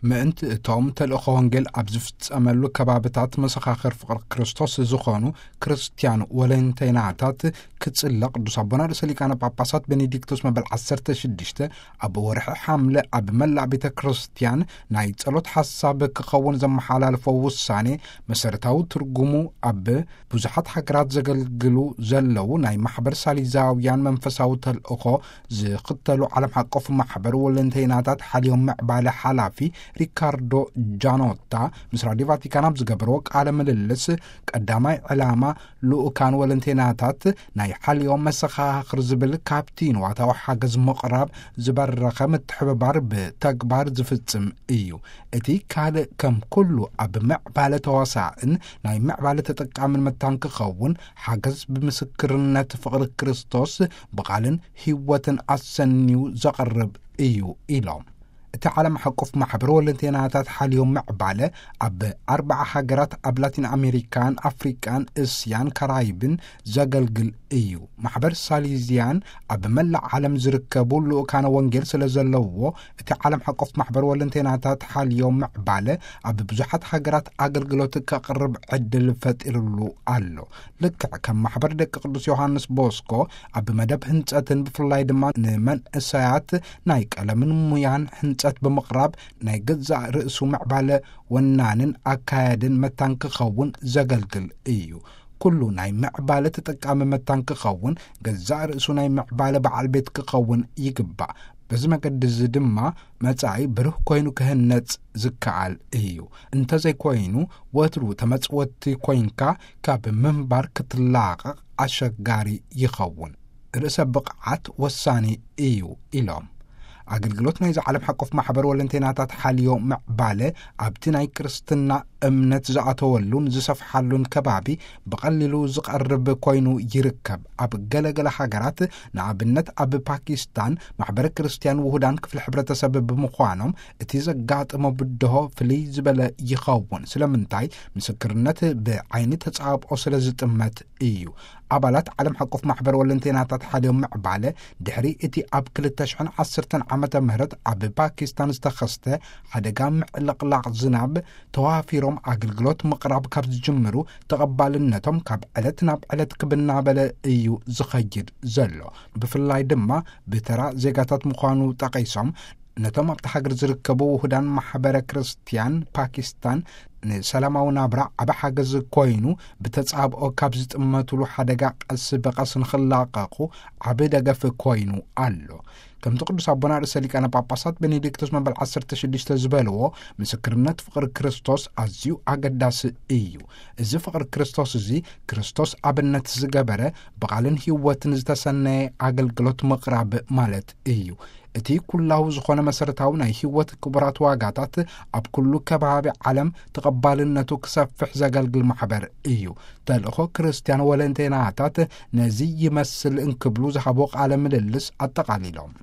ምእንቲ እቶም ተልእኾ ወንጌል ኣብ ዝፍጸመሉ ከባብታት መሰኻኽር ፍቕሪ ክርስቶስ ዝኾኑ ክርስትያን ወለንተይናታት ክጽለ፣ ቅዱስ ኣቦና ርእሰ ሊቃነ ጳጳሳት ቤኔዲክቶስ መበል ዓሰርተ ሽዱሽተ ኣብ ወርሒ ሓምለ ኣብ መላእ ቤተ ክርስትያን ናይ ጸሎት ሓሳብ ክኸውን ዘመሓላልፎ ውሳኔ፣ መሰረታዊ ትርጉሙ ኣብ ብዙሓት ሃገራት ዘገልግሉ ዘለዉ ናይ ማሕበር ሳሊዛውያን መንፈሳዊ ተልእኾ ዝኽተሉ ዓለም ሓቆፍ ማሕበር ወለንተይናታት ሓልዮም ምዕባለ ሓላፊ ሪካርዶ ጃኖታ ምስ ራዲዮ ቫቲካን ኣብ ዝገበርዎ ቃለ ምልልስ፣ ቀዳማይ ዕላማ ልኡካን ወለንተይናታት ናይ ሓልዮም መሰኻኽር ዝብል ካብቲ ንዋታዊ ሓገዝ ምቕራብ ዝበረኸ ምትሕብባር ብተግባር ዝፍጽም እዩ። እቲ ካልእ ከም ኩሉ ኣብ ምዕባለ ተዋሳእን ናይ ምዕባለ ተጠቃምን መታን ክኸውን ሓገዝ ብምስክርነት ፍቕሪ ክርስቶስ ብቓልን ህይወትን ኣሰንዩ ዘቕርብ እዩ ኢሎም። እቲ ዓለም ሓቆፍ ማሕበር ወለንተይናታት ሓልዮም ምዕባለ ኣብ ኣርባዓ ሃገራት ኣብ ላቲን ኣሜሪካን ኣፍሪቃን እስያን ካራይብን ዘገልግል እዩ። ማሕበር ሳሊዝያን ኣብ መላእ ዓለም ዝርከቡ ልኡካነ ወንጌል ስለ ዘለውዎ፣ እቲ ዓለም ሓቆፍ ማሕበር ወለንተይናታት ሓልዮም ምዕባለ ኣብ ብዙሓት ሃገራት ኣገልግሎት ከቕርብ ዕድል ፈጢርሉ ኣሎ። ልክዕ ከም ማሕበር ደቂ ቅዱስ ዮሃንስ ቦስኮ ኣብ መደብ ህንጸትን ብፍላይ ድማ ንመንእሰያት ናይ ቀለምን ሙያን ህንጸት ብምቕራብ ናይ ገዛእ ርእሱ ምዕባለ ወናንን ኣካያድን መታን ክኸውን ዘገልግል እዩ። ኩሉ ናይ ምዕባለ ተጠቃሚ መታን ክኸውን ገዛእ ርእሱ ናይ ምዕባለ በዓል ቤት ክኸውን ይግባእ። በዚ መገዲ እዚ ድማ መጻኢ ብሩህ ኮይኑ ክህነጽ ዝከኣል እዩ። እንተዘይኮይኑ፣ ወትሩ ተመጽወቲ ኮይንካ ካብ ምንባር ክትላቐቕ ኣሸጋሪ ይኸውን። ርእሰ ብቕዓት ወሳኒ እዩ ኢሎም። ኣገልግሎት ናይዚ ዓለም ሓቆፍ ማሕበር ወለንተይናታት ሓልዮ ምዕባለ ኣብቲ ናይ ክርስትና እምነት ዝኣተወሉን ዝሰፍሓሉን ከባቢ ብቐሊሉ ዝቐርብ ኮይኑ ይርከብ። ኣብ ገለገለ ሃገራት፣ ንኣብነት ኣብ ፓኪስታን፣ ማሕበረ ክርስትያን ውሁዳን ክፍሊ ሕብረተሰብ ብምዃኖም እቲ ዘጋጥሞ ብድሆ ፍልይ ዝበለ ይኸውን። ስለምንታይ? ምስክርነት ብዓይኒ ተጻብኦ ስለ ዝጥመት እዩ። ኣባላት ዓለም ሓቆፍ ማሕበር ወለንተይናታት ሓልዮም ምዕባለ፣ ድሕሪ እቲ ኣብ ክልተ ሽሕን ዓሰርተን ዓመተ ምህረት ኣብ ፓኪስታን ዝተኸስተ ሓደጋ ምዕልቕላቕ ዝናብ ተዋፊሮም ኣገልግሎት ምቕራብ ካብ ዝጅምሩ፣ ተቐባልነቶም ካብ ዕለት ናብ ዕለት ክብ እናበለ እዩ ዝኸይድ ዘሎ። ብፍላይ ድማ ብተራ ዜጋታት ምዃኑ ጠቒሶም፣ ነቶም ኣብቲ ሃገር ዝርከቡ ውሁዳን ማሕበረ ክርስትያን ፓኪስታን ንሰላማዊ ናብራ ዓቢ ሓገዝ ኮይኑ፣ ብተጻብኦ ካብ ዝጥመትሉ ሓደጋ ቀስ ብቐስ ንኽላቐቑ ዓቢ ደገፍ ኮይኑ ኣሎ። ከምቲ ቅዱስ ኣቦና ርእሰ ሊቃነ ጳጳሳት ቤኔዲክቶስ መበል ዓሰርተ ሽዱሽተ ዝበልዎ፣ ምስክርነት ፍቕሪ ክርስቶስ ኣዝዩ ኣገዳሲ እዩ። እዚ ፍቕሪ ክርስቶስ እዚ፣ ክርስቶስ ኣብነት ዝገበረ፣ ብቓልን ህይወትን ዝተሰነየ ኣገልግሎት ምቕራብ ማለት እዩ። እቲ ኩላዊ ዝኾነ መሰረታዊ ናይ ህይወት ክቡራት ዋጋታት ኣብ ኩሉ ከባቢ ዓለም ተቐባልነቱ ክሰፍሕ ዘገልግል ማሕበር እዩ። ተልእኾ ክርስትያን ወለንተይናታት ነዚ ይመስል እንክብሉ ዝሃቦ ቃለ ምልልስ ኣጠቓሊሎም።